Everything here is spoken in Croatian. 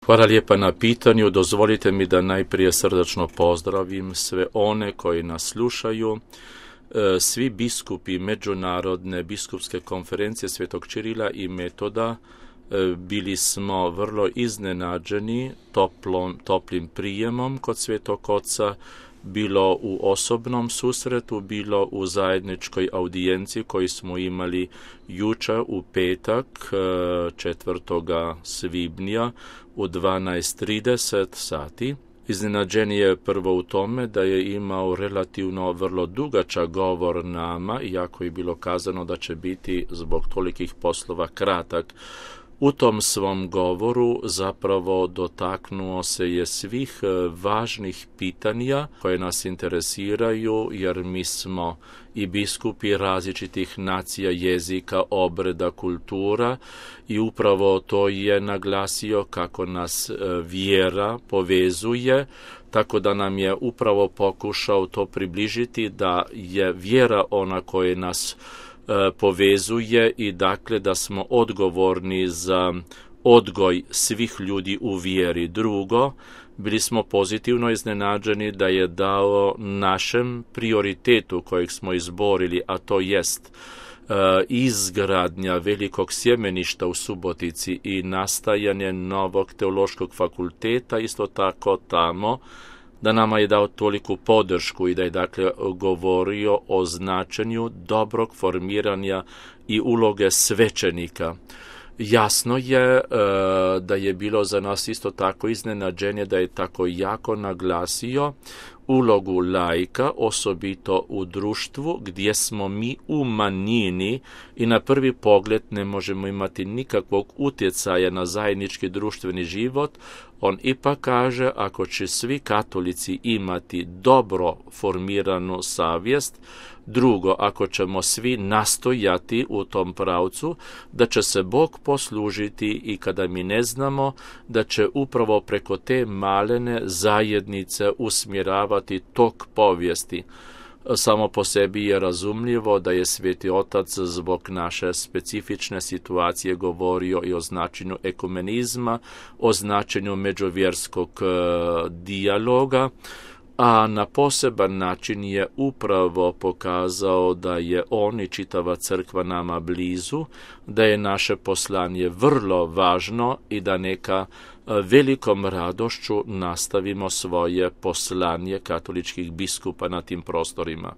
Hvala lijepa na pitanju. Dozvolite mi da najprije srdačno pozdravim sve one koji nas slušaju. Svi biskupi Međunarodne biskupske konferencije Svetog Čirila i Metoda bili smo vrlo iznenađeni toplim prijemom kod Svetog Oca, bilo u osobnom susretu, bilo u zajedničkoj audijenciji koju smo imali jučer u petak 4. svibnja u 12:30 sati. Iznenađen je prvo u tome da je imao relativno vrlo dugačak govor nama, iako je bilo kazano da će biti zbog tolikih poslova kratak. U tom svom govoru zapravo dotaknuo se je svih važnih pitanja koje nas interesiraju, jer mi smo i biskupi različitih nacija, jezika, obreda, kultura, i upravo to je naglasio kako nas vjera povezuje, tako da nam je upravo pokušao to približiti da je vjera ona koja nas povezuje i dakle da smo odgovorni za odgoj svih ljudi u vjeri. Drugo, bili smo pozitivno iznenađeni da je dao našem prioritetu kojeg smo izborili, a to jest izgradnja velikog sjemeništa u Subotici i nastajanje novog teološkog fakulteta, isto tako tamo, da nama je dao toliku podršku i da je dakle govorio o značenju dobrog formiranja i uloge svećenika. Jasno je da je bilo za nas isto tako iznenađenje da je tako jako naglasio ulogu laika, osobito u društvu gdje smo mi u manjini i na prvi pogled ne možemo imati nikakvog utjecaja na zajednički društveni život. On ipak kaže, ako će svi katolici imati dobro formiranu savjest, drugo, ako ćemo svi nastojati u tom pravcu, da će se Bog poslužiti i kada mi ne znamo, da će upravo preko te malene zajednice usmjeravati tok povijesti. Samo po sebi je razumljivo da je Sveti Otac zbog naše specifične situacije govorio i o značenju ekumenizma, o značenju međuvjerskog dijaloga, a na poseban način je upravo pokazao da je on i čitava crkva nama blizu, da je naše poslanje vrlo važno i da neka velikom radošću nastavimo svoje poslanje katoličkih biskupa na tim prostorima.